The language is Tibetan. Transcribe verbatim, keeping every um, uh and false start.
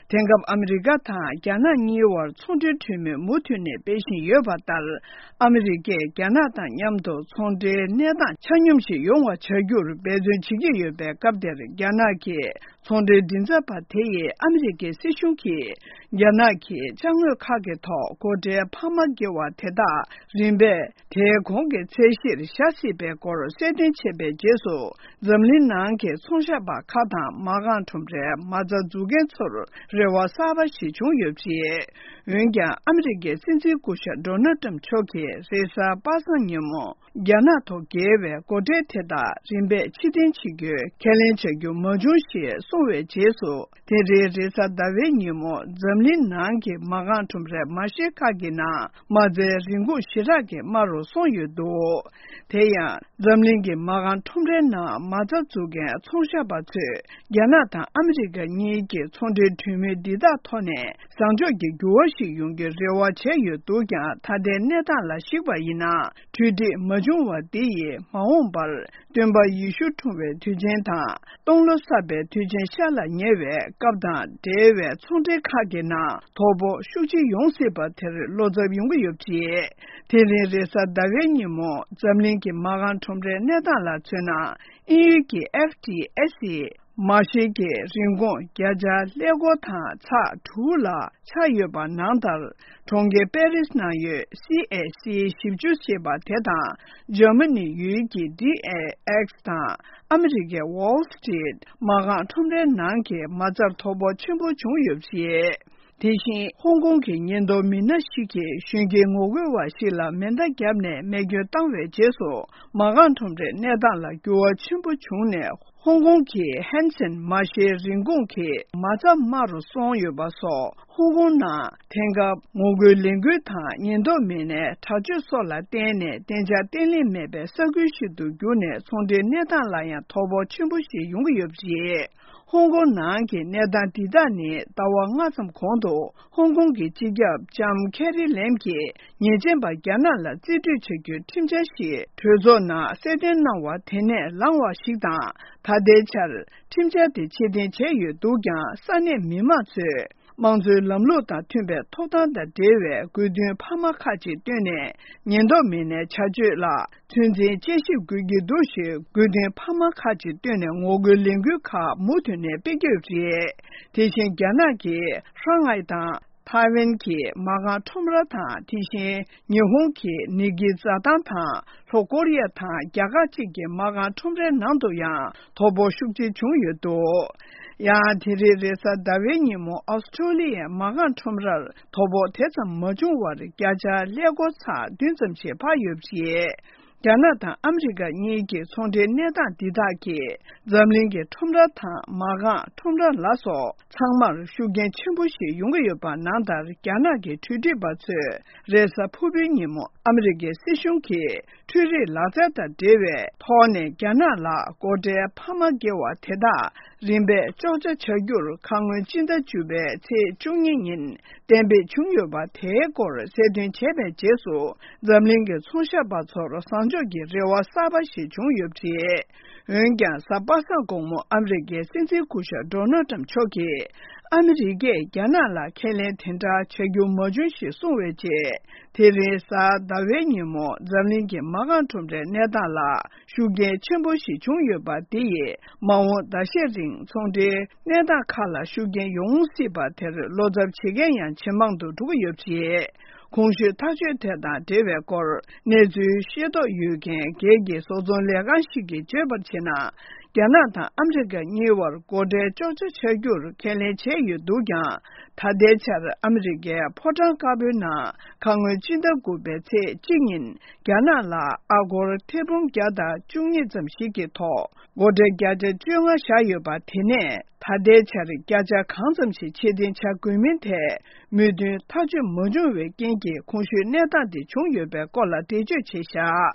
དེང་སྐབས་ཨ་མི་རི་ཀ་དང་རྒྱ་ནག་གཉིས་བར་ཚོང་འབྲེལ་གྲོས་མོལ་མུ་མཐུད་ནས་སྤེལ་བཞིན་ཡོད་པ་ལྟར། ཨ་མི་རི་ཀས་རྒྱ་ནག་དང་མཉམ་དུ་ཚོང་འབྲེལ་གནས་སྟངས་ཆ་སྙོམས་ཤིག་ཡོང་བ་བྱ་རྒྱུར་འབད་བརྩོན་བྱེད་ཀྱི་ཡོད་པའི་སྐབས་དེར། རྒྱ་ནག་གི་ཚོང་འབྲེལ་མགྲིན་ཚབ་པ་དེ་ཡིས་ཨ་མི་རི་ཀའི་སྲིད་གཞུང་གིས་རྒྱ་ནག་གི་ཅ་དངོས་ཁག་གི་ཐོག་སྒོ་ཁྲལ་འཕར་མ་བཀལ་བ་དེ་དག་རིམ་པས་དེའི་གོང་གི་ཚད་གཞིར་བཞག་སྲིད་པའི་སྐོར་གསལ་སྟོན་བྱས་པའི་རྗེས་སུ། འཛམ་གླིང་ནང་གི་ཚོང་ཤག་པ་ཁག་དང་མ་རྐང་ཁྲོམ་རའི་མ་རྩ་འཛུགས་མཁན་ཚོར་རེ་བ་གསར་པ་ཞིག་བྱུང་ཡོད་པ་རེད། འོན་ཀྱང་། ཨ་མི་རི་ཀའི་སྲིད་འཛིན་སྐུ་ཞབས་ཌོ་ནལ་ཊམ་མཆོག་གིས་རེས་གཟའ་པ་སངས་ཉིན་མོ། རྒྱ་ནག་ཐོག་འགེལ་བའི་སྒོ་ཁྲལ་དེ་དག་རིམ་པས་ཕྱིར་འཐེན་བྱེད་རྒྱུའི་ཁས་ལེན་བྱ་རྒྱུ་མ་བྱུང་ཞེས་གསུངས་པའི་རྗེས་སུ། དེ་རིང་རེས་གཟའ་ཟླ་བའི་ཉིན་མོ། འཛམ་གླིང་ནང་གི་མ་རྐང་ཁྲོམ་རའི་མ་གཞི་ཁག་གི་ནང་མ་རྩའི་རིན་གོང་ཞེ་དྲག་གི་དམའ་རུ་སོང་ཡོད་འདུག་དེ་ཡང་། འཛམ་གླིང་གི་མ་རྐང་ཁྲོམ་རའི་ནང་མ་རྩ་འཛུགས་མཁན་ཚོང་ཤག་པ་ཚོས། རྒྱ་ནག་དང་ཨ་མི་རི་ཀ་གཉིས་ཀྱི་ཚོང་འབྲེལ་གྲོས་མོལ་འདི་དག་ཐོག་ནས་བཟང་ཕྱོགས་ཀྱི་འགྱུར་བ་ཞིག་ཡོང་རྒྱུའི་རེ་བ་བྱས་ཡོད་འདུག་ཀྱང་། ད་ལྟའི་གནས་སྟངས་ལ་གཞིགས་པ་ཡིན་ན། གྲོས་འགྲིག་མ་བྱུང་བ་འདི་ཡིས་མ་འོངས་པར་སྟོན་པ་ཡེ་ཤུ་འཁྲུངས་པའི་དུས་ཆེན་དང་། སྟོང་ལོ་གསར་པའི་དུས་ཆེན་ཤར་ལ་ཉེ་བའི་སྐབས་དང་འབྲེལ་བའི་ཚོང་འབྲེལ་ཁག་གི་ནང་དོ་ཕོག་ཤུགས་ཆེ་ཡོང་སྲིད་པ་དེར་བློ་འཚབ་ཡོང་གི་ཡོད་པ་རེད། དེ་རིང་རེས་གཟའ་ཟླ་བའི་ཉིན་མོ། འཛམ་གླིང་གི་མ་རྐང་ཁྲོམ་རའི་གནས་སྟངས་ལ་མཚོན་ན། དབྱིན་ཡུལ་གྱི་ཨེཕ་ཊི་ཨེ་སི་ཡི་མ་གཞིའི་རིན་གོང་བརྒྱ་ཆ་ཀླད་ཀོར་དང་ཚེག་དྲུག་ལ་ཆག་ཡོད་པ་ནང་ལྟར། གྲོང་ཁྱེར་པེ་རིས་ནང་ཡོད་སི་ཨེ་སི་ཞིབ་འཇུག་ཞེས་པ་དེ་དང་། འཇར་མ་ནི་ཡུལ་གྱི་ཌི་ཨེ་ཨེག་སི་དང་ཨ་མི་རི་ཀའི་ཝོལ་སི་ཊི་རིཊ་མ་རྐང་ཁྲོམ་རའི་ནང་གི་མ་རྩར་དོ་ཕོག་ཆེན་པོ་བྱུང་ཡོད་པ་རེད། དེ་བཞིན། ཧོང་ཀོང་གི་ཉེན་རྟོག་མི་སྣ་ཞིག་གིས་གཞོན་སྐྱེས་ངོ་རྒོལ་བ་ཞིག་ལ་མེ་མདའ་བརྒྱབ་ནས་རྨས་སྐྱོན་བཏང་བའི་རྗེས་སུ། མ་རྐང་ཁྲོམ་རའི་གནས་སྟངས་ལ་འགྱུར་བ་ཆེན་པོ་བྱུང་ནས། ཧོང་ཀོང་གི་ཧན་སན་མ་གཞིའི་རིན་གོང་གི་མ་རྩ་དམའ་རུ་སོང་ཡོད་པ་སོགས། ཧོང་ཀོང་ནང་དེང་སྐབས་ངོ་རྒོལ་ལས་འགུལ་དང་ཉེན་རྟོག་མི་སྣའི་དྲག་སྤྱོད་སོགས་ལ་བརྟེན་ནས་བདེ་འཇགས་བརྟན་ལྷིང་མེད་པའི་ས་ཁུལ་ཞིག་ཏུ་གྱུར་ནས། ཚོང་འབྲེལ་གནས་སྟངས་ལ་ཡང་དོ་ཕོག་ཆེན་པོ་ཞིག་ཡོང་གི་ཡོད་པ་རེད། ཧོང་ཀོང་ནང་གི་གནས་སྟངས་འདི་དག་ནི། ཟླ་བ་ལྔ་ཙམ་གོང་དུ་ཧོང་ཀོང་གི་སྤྱི་ཁྱབ་ལྕམ་ཁེ་རི་ལེམ་གྱིས་ཉེས་ཅན་པ་རྒྱ་ནག་ལ་རྩིས་སྤྲོད་བྱ་རྒྱུའི་ཁྲིམས་འཆར་ཞིག་གྲོས་ཚོགས་ནང་གསལ་སྟོན་གནང་བ་དེ་ནས་ལངས་པ་ཞིག་དང་། ད་ལྟའི་ཆར་ཁྲིམས་འཆར་དེ་ཕྱིར་འཐེན་བྱས་ཡོད་འདུག་ཀྱང་། ས་གནས་མི་མང་ཚོས་དམངས་གཙོའི་ལམ་ལུགས་དང་མཐུན་པའི་ཐོབ་ཐང་དང་འབྲེལ་བའི་དགོས་འདུན་འཕར་མ་ཁག་ཅིག་བཏོན་ནས། ཉེན་རྟོག་མི་སྣའི་བྱ་སྤྱོད་ལ། ཚོད་འཛིན་དཔྱད་ཞིབ་དགོས་ཀྱི་འདུག་ཞེས་དགོས་འདུན་འཕར་མ་ཁག་ཅིག་བཏོན་ནས། ངོ་རྒོལ་ལས་འགུལ་ཁག་མུ་མཐུད་ནས་སྤེལ་གྱི་ཡོད་པ་རེད། དེ་བཞིན་རྒྱ་ནག་གིས་ཧྲང་ཧའེ་དང་ཐའེ་ཝན་གྱི་མ་རྐང་ཁྲོམ་ར་དང་། དེ་བཞིན་ཉི་ཧོང་གི་ནིག་ཀི་རྩྭ་ཐང་དང་། ལྷོ་ཀོ་རི་ཡ་དང་རྒྱ་གར་བཅས་ཀྱི་མ་རྐང་ཁྲོམ་རའི་ནང་དུ་ཡང་དོ་ཕོག་ཤུགས་ཆེ་བྱུང་ཡོད་འདུག་ཡང་། དེ་རིང་རེས་གཟའ་ཟླ་བའི་ཉིན་མོ། ཨོ་སི་ཀྲོ་ལི་ཡའི་མ་རྐང་ཁྲོམ་རར་དོ་ཕོག་དེ་ཙམ་མ་བྱུང་བར། བརྒྱ་ཆ་ཀླད་ཀོར་ཚེག་བདུན་ཙམ་ཞིག་འཕར་ཡོད་པ་རེད། རྒྱ་ནག་དང་ཨ་མི་རི་ཀ་གཉིས་ཀྱི་ཚོང་འབྲེལ་གནས་སྟངས་འདི་དག་གིས། འཛམ་གླིང་གི་ཁྲོམ་ར་དང་མ་རྐང་ཁྲོམ་ར་ལ་སོགས་ཚང་མར་ཤུགས་རྐྱེན་ཆེན་པོ་ཞིག་ཡོང་གི་ཡོད་པ་ནང་ལྟར། རྒྱ་ནག་གི་གྲོས་སྒྲིག་པ་ཚོས་རེས་གཟའ་ཕུར་བུའི་ཉིན་མོ། ཨ་མི་རི་ཀའི་སྲིད་གཞུང་གིས། འཕྲུལ་རིག་ལག་རྩལ་དང་འབྲེལ་བའི་ཐོག་ནས་རྒྱ་ནག་ལ་སྒོ་ཁྲལ་འཕར་མ་བཀལ་བ་དེ་དག་རིམ་པས་གཅོག་ཆ་བྱ་རྒྱུར། ཁ་སྔོན་སྤྱི་ཟླ་བཅུ་པའི་ཚེས་བཅུ་གཉིས་ཉིན་གཏན་འབེབས་བྱུང་ཡོད་པ་དེའི་སྐོར་གསལ་སྟོན་བྱས་པའི་རྗེས་སུ། འཛམ་གླིང་གི་ཚོང་ཤག་པ་ཚོར་བཟང་ཕྱོགས་ཀྱི་རེ་བ་གསར་པ་ཞིག་བྱུང་ཡོད་པ་རེད། འོན་ཀྱང་། གཟའ་པ་སངས་དགོང་མོ། ཨ་མི་རི་ཀའི་སྲིད་འཛིན་སྐུ་ཞབས་ཌོ་ནལ་ཊམ་མཆོག་གིས། ཨ་མི་རི་ཀས་རྒྱ་ནག་ལ་ཁས་ལེན་དེ་འདྲ་བྱ་རྒྱུ་མ་བྱུང་ཞེས་གསུངས་པའི་རྗེས། དེ་རིང་གཟའ་ཟླ་བའི་ཉིན་མོ། འཛམ་གླིང་གི་མ་རྐང་ཁྲོམ་རའི་གནས་སྟངས་ལ་ཤུགས་རྐྱེན་ཆེན་པོ་ཞིག་བྱུང་ཡོད་པ་འདི་ཡིས། མ་འོངས་ཟླ་ཤས་རིང་ཚོང་འབྲེལ་གནས་སྟངས་ཁག་ལ་ཤུགས་རྐྱེན་ཡོང་སྲིད་པ་དེར་བློ་འཚབ་བྱེད་མཁན་ཡང་ཇེ་མང་དུ་འགྲོ་གི་ཡོད་པ་རེད། གོང་ཞུས་ཐག་གཅོད་དེ་དང་འབྲེལ་བའི་སྐོར། གནས་ཚུལ་ཤེས་རྟོགས་ཡོད་མཁན་སྒེར་གྱི་བཟོ་ཚོང་ལས་ཁང་ཞིག་གིས་བརྗོད་པར་བྱས་ན། རྒྱ་ནག་དང་ཨ་མི་རི་ཀ་གཉིས་བར་སྒོ་ཁྲལ་གཅོག་ཆ་བྱ་རྒྱུར་ཁས་ལེན་བྱས་ཡོད་འདུག་ཀྱང་། ད་ལྟའི་ཆར་ཨ་མི་རི་ཀའི་ཕོ་བྲང་དཀར་པོའི་ནང་ཁ་སྔོན་སྤྱི་ཟླ་དགུ་པའི་ཚེས་གཅིག་ཉིན་རྒྱ་ནག་ལ་ཨ་སྒོར་ཐེར་འབུམ་བརྒྱ་དང་བཅུ་གཉིས་ཙམ་ཞིག་གི་ཐོག་སྒོ་ཁྲལ་བརྒྱ་ཆ་བཅོ་ལྔ་བཞག་ཡོད་པ། དེ་ནས་ད་ལྟའི་ཆར་བརྒྱ་ཆ་གང་ཙམ་ཞིག་ཕྱིར་འཐེན་བྱ་དགོས་མིན་ཐད་མོས་མཐུན་ཐག་གཅོད་མ་བྱུང་བའི་རྐྱེན་གྱིས། གོང་ཞུས་གནས་སྟངས་དེ་བྱུང་ཡོད་པའི་སྐོར་ལ་འགྲེལ་བརྗོད་བྱས་བཞག